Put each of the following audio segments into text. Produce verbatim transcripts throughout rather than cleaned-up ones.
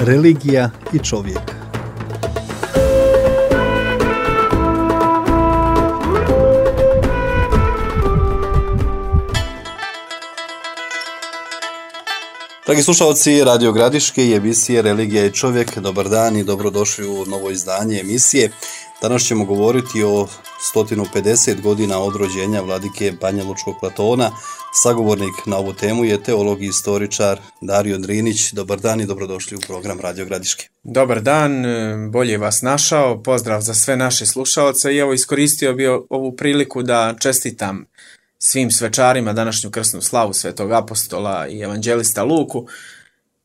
religija i čovjek. Dragi slušalci Radio Gradiške i emisije Religija i čovjek, dobar dan i dobrodošli u novo izdanje emisije. Danas ćemo govoriti o sto pedeset godina od rođenja vladike Banjalučkog Platona. Sagovornik na ovu temu je teolog i istoričar Dario Drinić. Dobar dan i dobrodošli u program Radio Gradiške. Dobar dan, bolje vas našao, pozdrav za sve naše slušaoce i evo iskoristio bi ovu priliku da čestitam svim svečarima današnju krsnu slavu svetog apostola i evanđelista Luku,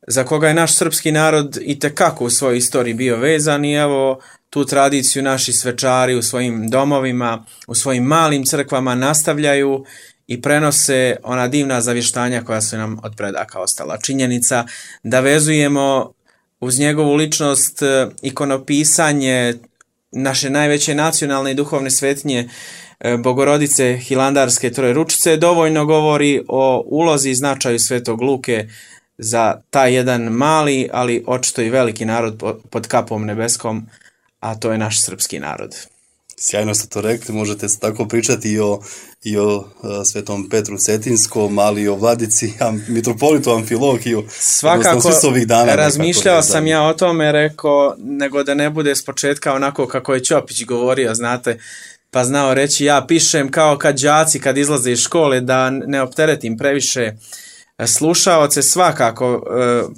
za koga je naš srpski narod itekako u svojoj istoriji bio vezan i evo tu tradiciju naši svečari u svojim domovima, u svojim malim crkvama nastavljaju i prenose ona divna zavještanja koja su nam od predaka ostala. Činjenica da vezujemo uz njegovu ličnost ikonopisanje naše najveće nacionalne i duhovne svetinje Bogorodice Hilandarske Trojeručice dovoljno govori o ulozi i značaju svetog Luke za taj jedan mali, ali očito i veliki narod pod kapom nebeskom, a to je naš srpski narod. Sjajno ste to rekli, možete tako pričati i o, i o uh, svetom Petru Cetinskom, ali i o vladici am, mitropolitu Amfilohiju. Svakako, dana, razmišljao sam ja o tome, rekao, nego da ne bude s početka onako kako je Ćopić govorio, znate, pa znao reći ja pišem kao kad đaci kad izlaze iz škole, da ne opteretim previše slušaoce. Svakako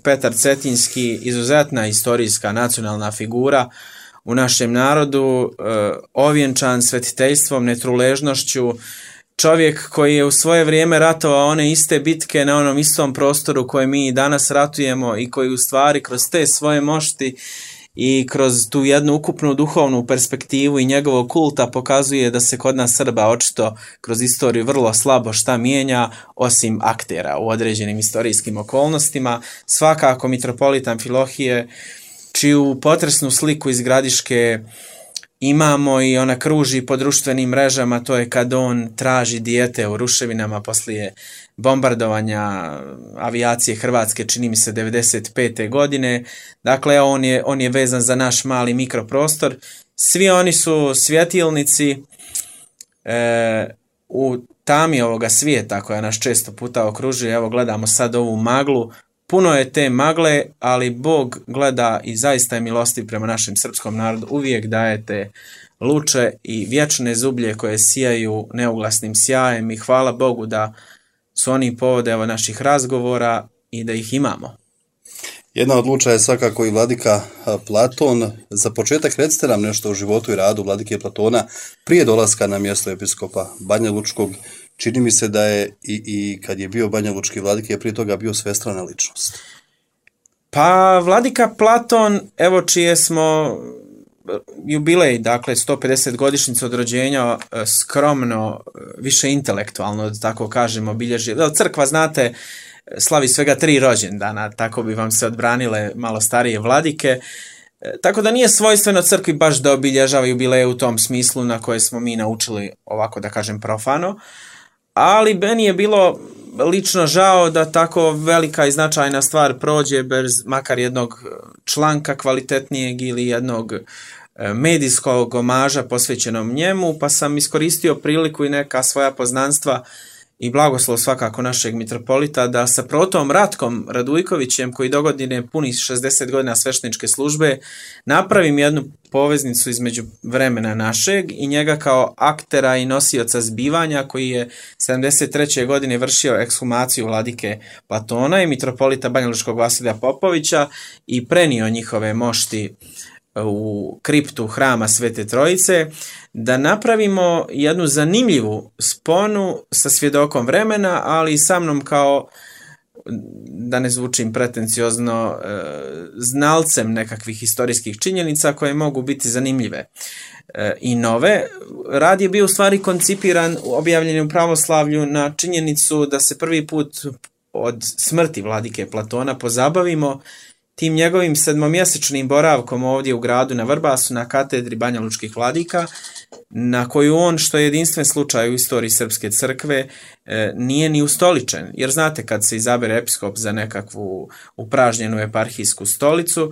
Petar Cetinski, izuzetna istorijska nacionalna figura u našem narodu, ovjenčan svetiteljstvom, netruležnošću, čovjek koji je u svoje vrijeme ratovao one iste bitke na onom istom prostoru koje mi danas ratujemo i koji u stvari kroz te svoje mošti i kroz tu jednu ukupnu duhovnu perspektivu i njegovog kulta pokazuje da se kod nas Srba očito kroz istoriju vrlo slabo šta mijenja osim aktera u određenim istorijskim okolnostima. Svakako mitropolit Amfilohije, čiju potresnu sliku iz Gradiške imamo i ona kruži po društvenim mrežama, to je kad on traži dijete u ruševinama poslije bombardovanja avijacije Hrvatske, čini mi se devedeset pete godine. Dakle, on je, on je vezan za naš mali mikroprostor. Svi oni su svjetilnici e, u tami ovoga svijeta koja nas često puta okružuje. Evo gledamo sad ovu maglu. Puno je te magle, ali Bog gleda i zaista je milostiv prema našem srpskom narodu. Uvijek dajete luče i vječne zublje koje sijaju neuglasnim sjajem i hvala Bogu da su oni povode evo naših razgovora i da ih imamo. Jedna od luča je svakako i vladika Platon. Za početak recite nam nešto o životu i radu vladike Platona prije dolaska na mjesto episkopa Banjalučkog. Čini mi se da je i, i kad je bio banjalučki vladika je prije toga bio svestrana ličnost. Pa vladika Platon, evo čije smo jubilej, dakle sto pedeset godišnjicu od rođenja, skromno, više intelektualno, da tako kažemo, obilježi. Crkva, znate, slavi svega tri rođendana, tako bi vam se odbranile malo starije vladike. Tako da nije svojstveno crkvi baš da obilježava jubileje u tom smislu na koje smo mi naučili, ovako da kažem, profano. Ali meni je bilo lično žao da tako velika i značajna stvar prođe bez makar jednog članka kvalitetnijeg ili jednog medijskog omaža posvećenom njemu, pa sam iskoristio priliku i neka svoja poznanstva i blagoslov svakako našeg mitropolita da sa protom Ratkom Radujkovićem, koji dogodine puni šezdeset godina svešteničke službe, napravim jednu poveznicu između vremena našeg i njega kao aktera i nosioca zbivanja, koji je sedamdeset treće godine vršio ekshumaciju vladike Platona i mitropolita Banjalučkog Vasilija Popovića i prenio njihove mošti u kriptu hrama Svete Trojice, da napravimo jednu zanimljivu sponu sa svjedokom vremena, ali i sa mnom kao, da ne zvučim pretenciozno, znalcem nekakvih historijskih činjenica koje mogu biti zanimljive i nove. Rad je bio u stvari koncipiran, objavljen u pravoslavlju na činjenicu da se prvi put od smrti vladike Platona pozabavimo tim njegovim sedmomjesečnim boravkom ovdje u gradu na Vrbasu na katedri banjalučkih vladika, na koju on, što je jedinstven slučaj u istoriji Srpske crkve, nije ni ustoličen. Jer znate, kad se izabere episkop za nekakvu upražnjenu eparhijsku stolicu,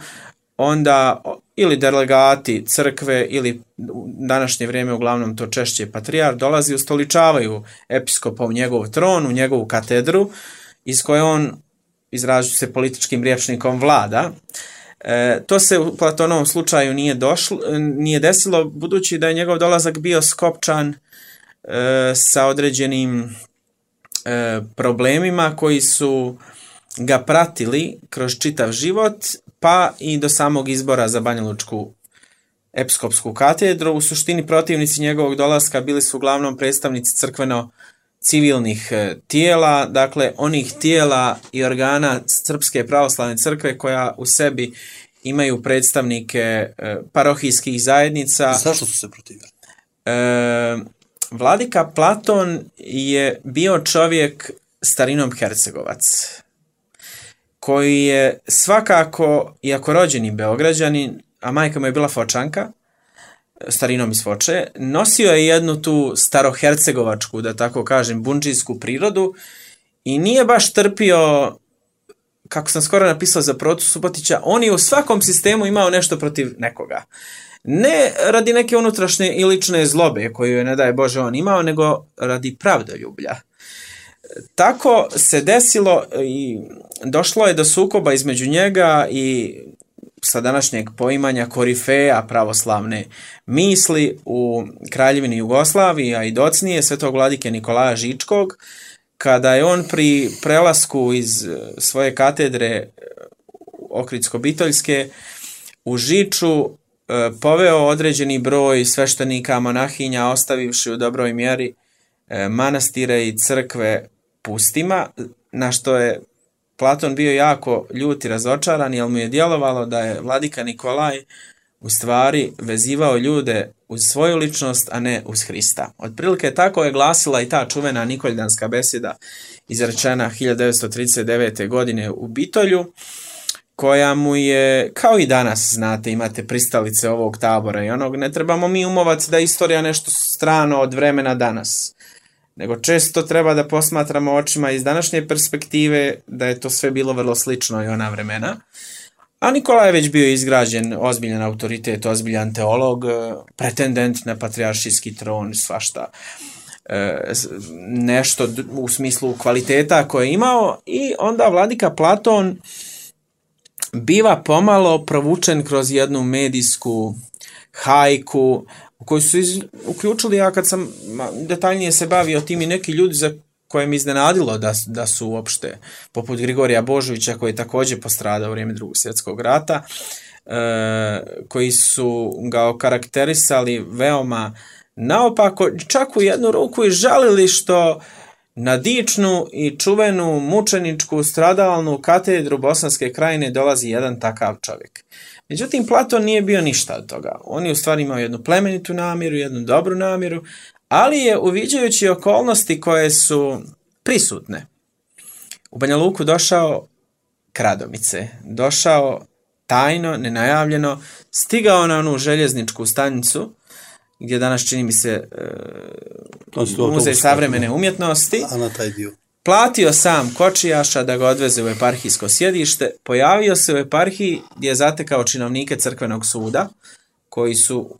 onda ili delegati crkve ili u današnje vrijeme uglavnom to češće patrijar dolazi, ustoličavaju episkopa u njegov tron, u njegovu katedru, iz koje on, izražujući se političkim rječnikom, vlada. E, to se u Platonovom slučaju nije, došlo, nije desilo, budući da je njegov dolazak bio skopčan e, sa određenim e, problemima koji su ga pratili kroz čitav život, pa i do samog izbora za banjalučku episkopsku katedru. U suštini protivnici njegovog dolaska bili su uglavnom predstavnici crkveno-civilnih tijela, dakle onih tijela i organa Srpske pravoslavne crkve koja u sebi imaju predstavnike parohijskih zajednica. Zašto su se protivili? E, Vladika Platon je bio čovjek starinom Hercegovac, koji je svakako, iako rođeni Beograđanin, a majka mu je bila Fočanka, starinom iz Foče, nosio je jednu tu starohercegovačku, da tako kažem, bundžijsku prirodu i nije baš trpio, kako sam skoro napisao za Protu Subotića, on je u svakom sistemu imao nešto protiv nekoga. Ne radi neke unutrašnje i lične zlobe koju je, ne daj Bože, on imao, nego radi pravdoljublja. Tako se desilo i došlo je do sukoba između njega i sa današnjeg poimanja korifeja pravoslavne misli u Kraljevini Jugoslaviji, a i docnije svetog vladike Nikolaja Žičkog, kada je on pri prelasku iz svoje katedre Ohridsko-Bitoljske u Žiču poveo određeni broj sveštenika, monahinja, ostavivši u dobroj mjeri manastire i crkve pustima, na što je Platon bio jako ljut i razočaran, jer mu je djelovalo da je vladika Nikolaj u stvari vezivao ljude uz svoju ličnost, a ne uz Hrista. Otprilike tako je glasila i ta čuvena Nikoljanska besjeda izrečena hiljadu devetsto trideset devete. godine u Bitolju, koja mu je, kao i danas, znate, imate pristalice ovog tabora i onog, ne trebamo mi umovati da je istorija nešto strano od vremena danas, nego često treba da posmatramo očima iz današnje perspektive da je to sve bilo vrlo slično i ona vremena. A Nikola je već bio izgrađen ozbiljan autoritet, ozbiljan teolog, pretendent na patrijaršijski tron, svašta nešto u smislu kvaliteta koje je imao, i onda vladika Platon biva pomalo provučen kroz jednu medijsku hajku u koju su iz, uključili, ja kad sam detaljnije se bavio tim, i neki ljudi za koje mi iznenadilo da, da su uopšte, poput Grigorija Božovića, koji je također postradao u vrijeme Drugog svjetskog rata, e, koji su ga okarakterisali veoma naopako, čak u jednu ruku i žalili što na dičnu i čuvenu mučeničku stradalnu katedru Bosanske krajine dolazi jedan takav čovjek. Međutim, Platon nije bio ništa od toga. On je u stvari imao jednu plemenitu namjeru, jednu dobru namjeru, ali je, uviđajući okolnosti koje su prisutne, u Banja Luku došao kradomice, došao tajno, nenajavljeno, stigao na onu željezničku stanicu, gdje danas čini mi se e, muzej savremene umjetnosti, a na taj dio platio sam kočijaša da ga odveze u eparhijsko sjedište, pojavio se u eparhiji gdje je zatekao činovnike crkvenog suda, koji su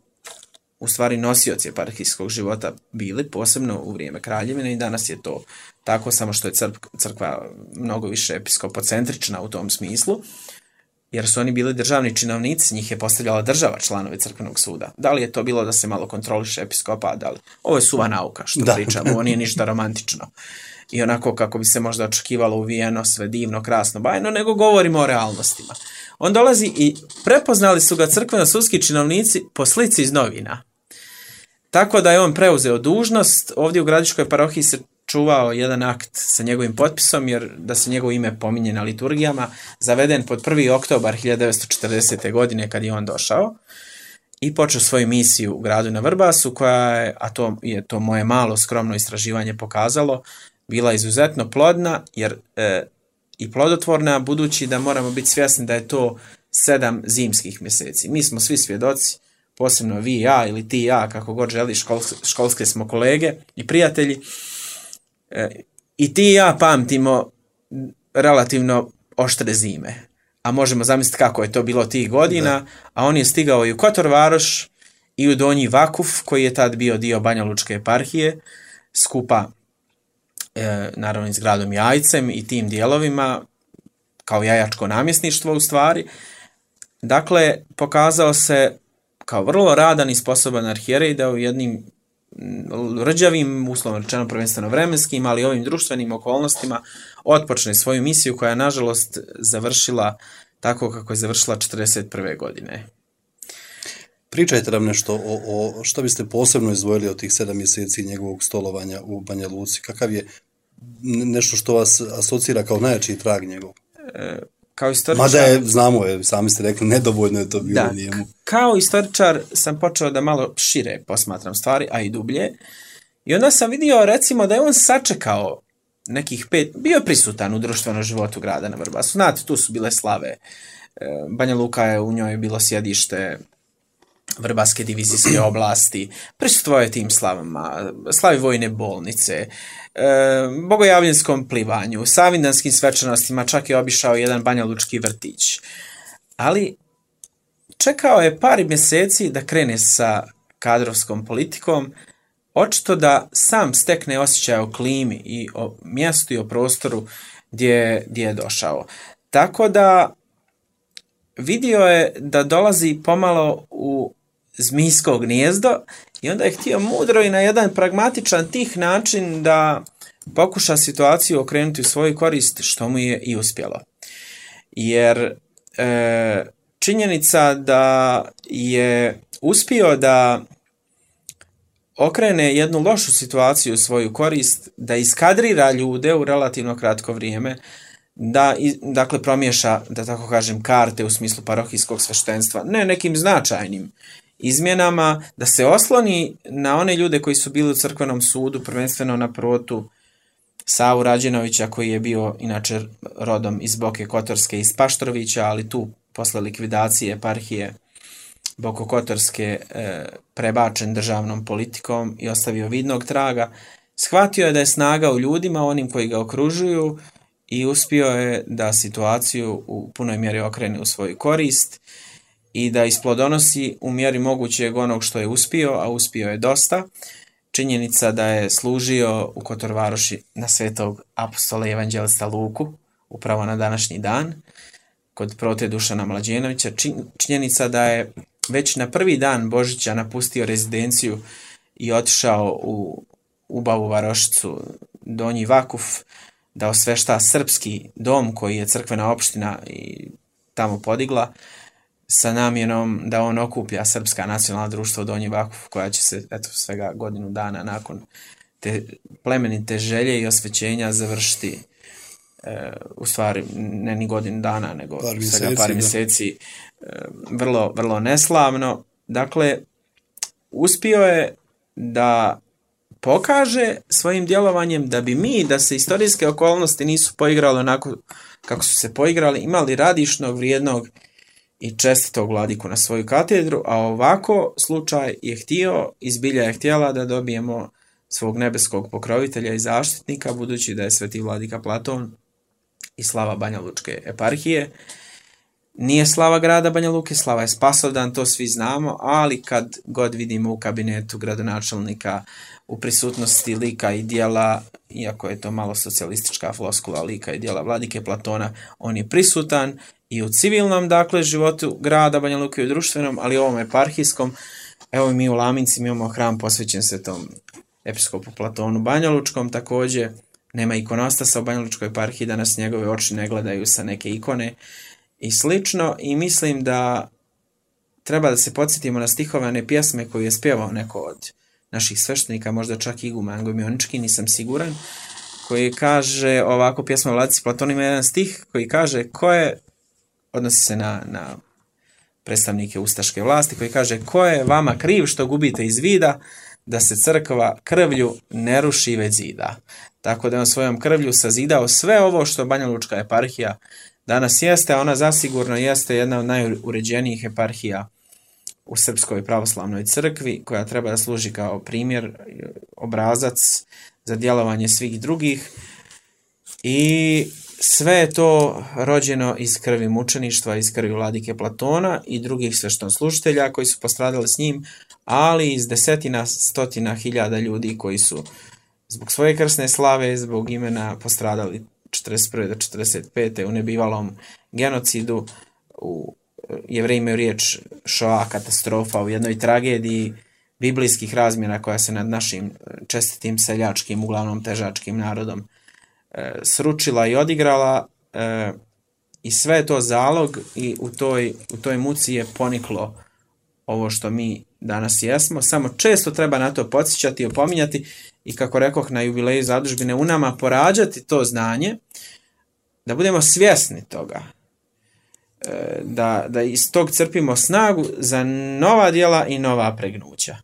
u stvari nosioci eparhijskog života bili, posebno u vrijeme Kraljevine, i danas je to tako, samo što je crkva mnogo više episkopocentrična u tom smislu, jer su oni bili državni činovnici, njih je postavljala država članovi crkvenog suda. Da li je to bilo da se malo kontroliše episkopa, da li? Ovo je suva nauka što da. pričamo, ovo nije ništa romantično i onako kako bi se možda očekivalo uvijeno, sve divno, krasno, bajno, nego govorimo o realnostima. On dolazi i prepoznali su ga crkveno-sudski činovnici po slici iz novina. Tako da je on preuzeo dužnost. Ovdje u Gradiškoj parohiji se čuvao jedan akt sa njegovim potpisom, jer da se njegovo ime pominje na liturgijama, zaveden pod prvi oktobar hiljadu devetsto četrdesete. godine kad je on došao i počeo svoju misiju u gradu na Vrbasu, koja je, a to je to moje malo skromno istraživanje pokazalo, bila izuzetno plodna, jer e, i plodotvorna, budući da moramo biti svjesni da je to sedam zimskih mjeseci. Mi smo svi svjedoci, posebno vi i ja ili ti i ja, kako god želiš, školske, školske smo kolege i prijatelji. E, I ti i ja pamtimo relativno oštre zime. A možemo zamisliti kako je to bilo tih godina, da. A on je stigao i u Kotor Varoš i u Donji Vakuf, koji je tad bio dio Banja Lučke eparhije, skupa e, naravno i s gradom Jajcem i tim dijelovima, kao jajačko namjesništvo u stvari. Dakle, pokazao se kao vrlo radan i sposoban arhijerej da u jednim rđavim, uslovno rečeno prvenstveno vremenskim, ali ovim društvenim okolnostima otpočne svoju misiju koja je nažalost završila tako kako je završila četrdeset prve godine. Pričajte nam nešto o, o što biste posebno izdvojili od tih sedam mjeseci njegovog stolovanja u Banja Luci. Kakav je nešto što vas asocira kao najjači trag njegov? E, kao istoričar... Mada je, znamo je, sami ste rekli, nedovoljno je to bilo da, njemu. Kao istoričar sam počeo da malo šire posmatram stvari, a i dublje. I onda sam vidio, recimo, da je on sačekao nekih pet, bio prisutan u društvenom životu grada na Vrbasu. Znate, tu su bile slave. Banja Luka je, u njoj bilo sjedište Vrbaske divizijske oblasti, prisustvovao je tim slavama, slavi vojne bolnice, e, bogojavljenskom plivanju, savindanskim svečanostima, čak je obišao jedan banjalučki vrtić. Ali čekao je par mjeseci da krene sa kadrovskom politikom, očito da sam stekne osjećaj o klimi i o mjestu i o prostoru gdje, gdje je došao. Tako da vidio je da dolazi pomalo u zmijsko gnijezdo i onda je htio mudro i na jedan pragmatičan tih način da pokuša situaciju okrenuti u svoju korist, što mu je i uspjelo. Jer e, činjenica da je uspio da okrene jednu lošu situaciju u svoju korist, da iskadrira ljude u relativno kratko vrijeme, da dakle promiješa, da tako kažem, karte u smislu parohijskog sveštenstva, ne nekim značajnim izmjenama, da se osloni na one ljude koji su bili u crkvenom sudu, prvenstveno na protu Savu Rađenovića, koji je bio inače rodom iz Boke Kotorske, iz Paštrovića, ali tu posle likvidacije eparhije Bokokotorske e, prebačen državnom politikom i ostavio vidnog traga. Shvatio je da je snaga u ljudima, onim koji ga okružuju, i uspio je da situaciju u punoj mjeri okrene u svoju korist i da isplodonosi u mjeri mogućeg onog što je uspio, a uspio je dosta. Činjenica da je služio u Kotor Varoši na svetog apostola i evanđelista Luku, upravo na današnji dan, kod prote Dušana Mlađenovića. Činjenica da je već na prvi dan Božića napustio rezidenciju i otišao u Ubavu Varošicu, Donji Vakuf, da osvešta srpski dom koji je crkvena opština i tamo podigla, sa namjenom da on okuplja srpska nacionalna društva u Donji Vakuf, koja će se eto svega godinu dana nakon te plemenite želje i osvećenja završiti, e, u stvari ne ni godinu dana, nego par svega mjeseci, par mjeseci, e, vrlo, vrlo neslavno. Dakle, uspio je da pokaže svojim djelovanjem da bi mi, da se istorijske okolnosti nisu poigrali onako kako su se poigrali, imali radišnog, vrijednog i čestitog vladiku na svoju katedru, a ovako slučaj je htio, izbilja je htjela da dobijemo svog nebeskog pokrovitelja i zaštitnika, budući da je sveti vladika Platon i slava Banja Lučke eparhije. Nije slava grada Banja Luke, slava je Spasovdan, to svi znamo, ali kad god vidimo u kabinetu gradonačelnika u prisutnosti lika i dijela, iako je to malo socijalistička floskula, lika i dijela vladike Platona, on je prisutan i u civilnom, dakle, životu grada Banja Luke i u društvenom, ali i ovom eparhijskom. Evo mi u Laminci imamo hram posvećen svetom episkopu Platonu Banjalučkom, također nema ikonostasa u Banjalučkoj eparhiji, da nas njegove oči ne gledaju sa neke ikone i slično, i mislim da treba da se podsjetimo na stihovane pjesme koju je spjevao neko od naših sveštenika, možda čak i iguman Gojmionički, nisam siguran, koji kaže ovako, pjesma Vladici Platonu ima jedan stih koji kaže, ko je, odnosi se na, na predstavnike ustaške vlasti, koji kaže, ko je vama kriv što gubite iz vida, da se crkva krvlju ne ruši već zida. Tako da je on svojom krvlju sazidao sve ovo što Banjalučka eparhija danas jeste, a ona zasigurno jeste jedna od najuređenijih eparhija u Srpskoj pravoslavnoj crkvi, koja treba da služi kao primjer, obrazac za djelovanje svih drugih. I sve je to rođeno iz krvi mučeništva, iz krvi vladike Platona i drugih sveštonslužitelja koji su postradali s njim, ali iz desetina, stotina hiljada ljudi koji su zbog svoje krsne slave, zbog imena postradali četrdeset prve do četrdeset pete u nebivalom genocidu. U Jevreji imaju riječ šoa, katastrofa, u jednoj tragediji biblijskih razmjera koja se nad našim čestitim seljačkim, uglavnom težačkim narodom e, sručila i odigrala, e, i sve je to zalog i u toj, u toj muci je poniklo ovo što mi danas jesmo. Samo često treba na to podsjećati i opominjati i, kako rekoh, na jubileju zadužbine u nama porađati to znanje, da budemo svjesni toga, da, da iz tog crpimo snagu za nova djela i nova pregnuća.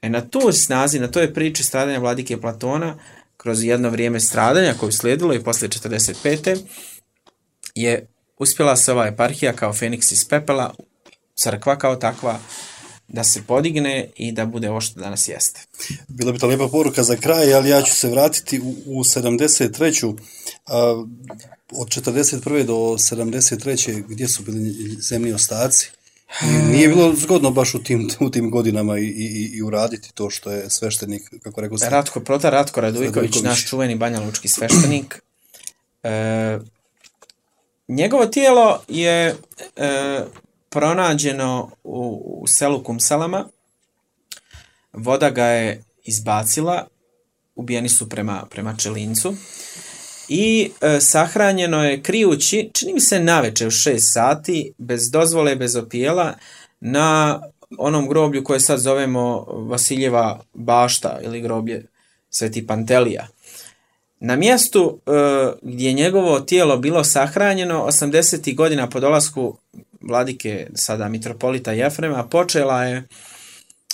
E na tu snazi, na toj priči stradanja vladike Platona, kroz jedno vrijeme stradanja koje je slijedilo i poslije četrdeset pete je uspjela se ova eparhija kao Feniks iz pepela, crkva kao takva, da se podigne i da bude ovo što danas jeste. Bila bi to lijepa poruka za kraj, ali ja ću se vratiti u, u sedamdeset treću. A, od četrdeset prve do sedamdeset treće gdje su bili zemlji ostaci? Nije bilo zgodno baš u tim, u tim godinama i, i, i uraditi to što je sveštenik, kako rekao sam. Ratko, protar Ratko Radujković, naš čuveni banjalučki sveštenik. E, njegovo tijelo je e, pronađeno u, u selu Kumsalama. Voda ga je izbacila, ubijeni su prema, prema Čelincu. I e, sahranjeno je krijući, čini mi se navečer u šest sati, bez dozvole, bez opijela, na onom groblju koje sad zovemo Vasiljeva bašta ili groblje Sveti Pantelija. Na mjestu e, gdje je njegovo tijelo bilo sahranjeno, osamdesetih godina po dolasku vladike, sada mitropolita Jefrema, počela je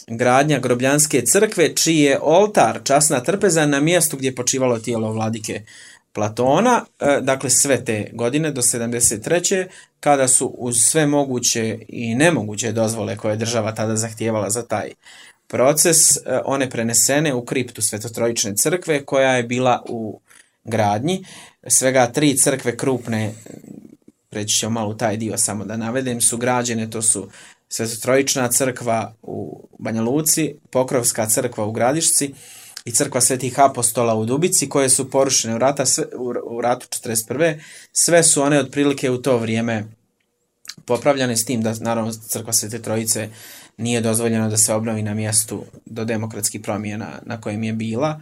gradnja Grobljanske crkve, čiji je oltar, časna trpeza, na mjestu gdje je počivalo tijelo vladike Platona, dakle sve te godine do sedamdeset treće kada su uz sve moguće i nemoguće dozvole koje je država tada zahtijevala za taj proces, one prenesene u kriptu Svetotrojične crkve koja je bila u gradnji. Svega tri crkve krupne, preći ćemo malo u taj dio samo da navedem, su građene, to su Svetotrojična crkva u Banja Luci, Pokrovska crkva u Gradišci i crkva Svetih apostola u Dubici, koje su porušene u, rata, u ratu četrdeset prve. Sve su one otprilike u to vrijeme popravljane, s tim da naravno crkva Svete Trojice nije dozvoljeno da se obnovi na mjestu do demokratskih promjena na kojem je bila.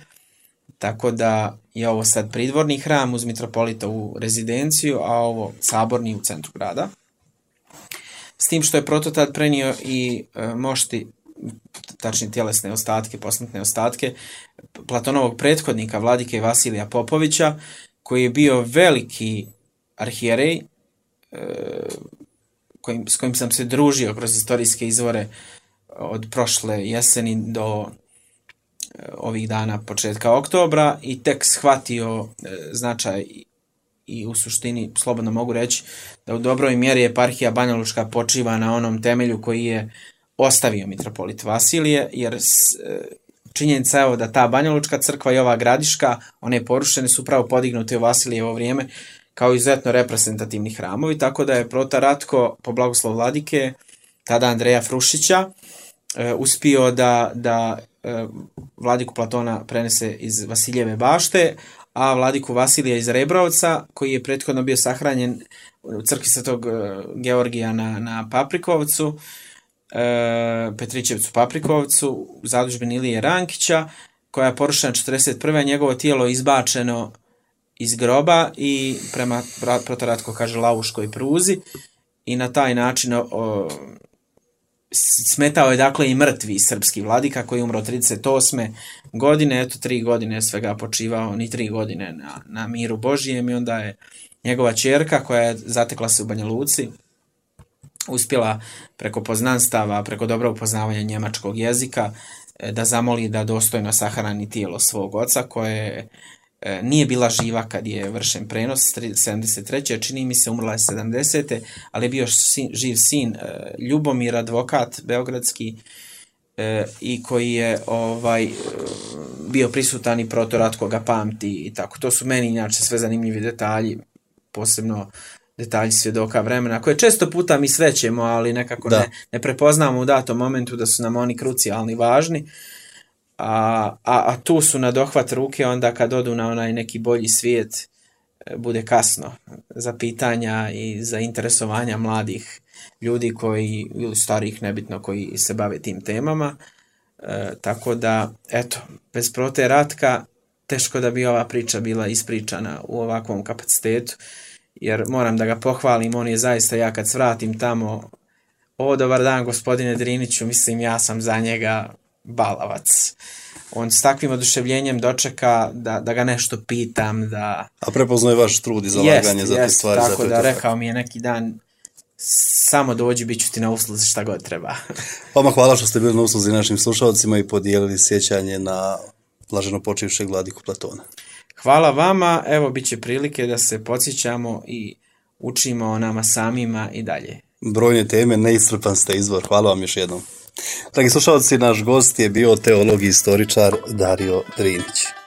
Tako da je ovo sad pridvorni hram uz mitropolitovu rezidenciju, a ovo saborni u centru grada. S tim što je prototat prenio i e, mošti, tačnije tjelesne ostatke, posmrtne ostatke Platonovog prethodnika, vladike Vasilija Popovića, koji je bio veliki arhijerej, e, kojim, s kojim sam se družio kroz historijske izvore od prošle jeseni do e, ovih dana početka oktobra, i tek shvatio e, značaj i u suštini, slobodno mogu reći, da u dobroj mjeri eparhija Banjalučka počiva na onom temelju koji je ostavio mitropolit Vasilije, jer činjenica je da ta Banjalučka crkva i ova Gradiška, one porušene, su pravo podignute u Vasilijevo vrijeme kao izuzetno reprezentativni hramovi, tako da je protar Ratko, po blagoslov vladike, tada Andreja Frušića, uspio da, da vladiku Platona prenese iz Vasiljeve bašte, a vladiku Vasilija iz Rebrovca, koji je prethodno bio sahranjen u crkvi Svetog Georgija na, na Paprikovcu, e, Petrićevcu Paprikovcu, u zadužbini Ilije Rankića, koja je porušena četrdeset prve. Njegovo tijelo izbačeno iz groba i prema, protar Ratko kaže, Lavuškoj pruzi, i na taj način o, smetao je dakle i mrtvi srpski vladika koji je umro trideset osme godine, eto tri godine svega počivao, ni tri godine na, na miru Božijem, i onda je njegova ćerka, koja je zatekla se u Banja Luci, uspjela preko poznanstava, preko dobrog poznavanja njemačkog jezika da zamoli da dostojno sahrani tijelo svog oca koje nije bila živa kad je vršen prenos sedamdeset treće čini mi se, umrla je sedamdesete ali je bio sin, živ sin Ljubomir, advokat beogradski, i koji je ovaj bio prisutan i protorat koga pamti i tako. To su meni inače sve zanimljivi detalji, posebno detalji svjedoka vremena, koje često puta mi srećemo, ali nekako ne, ne prepoznamo u datom momentu da su nam oni krucijalni, važni. A, a, a tu su na dohvat ruke onda kad odu na onaj neki bolji svijet, bude kasno za pitanja i za interesovanja mladih ljudi koji, ili starih, nebitno, koji se bave tim temama. E, tako da, eto, bez Prote Ratka teško da bi ova priča bila ispričana u ovakvom kapacitetu, jer moram da ga pohvalim, on je zaista, ja kad svratim tamo, o, dobar dan gospodine Driniću, mislim ja sam za njega balavac. On s takvim oduševljenjem dočeka da, da ga nešto pitam. Da... A prepoznaje vaš trud i zalaganje za te stvari. Tako da rekao mi je neki dan, samo dođi, bit ću ti na usluzi šta god treba. Vama hvala što ste bili na usluzi našim slušalcima i podijelili sjećanje na blaženo počivšeg vladiku Platona. Hvala vama, evo bit će prilike da se podsjećamo i učimo o nama samima i dalje. Brojne teme, neiscrpan ste izvor, hvala vam još jednom. Dragi slušalci, naš gost je bio teolog i istoričar Dario Drinić.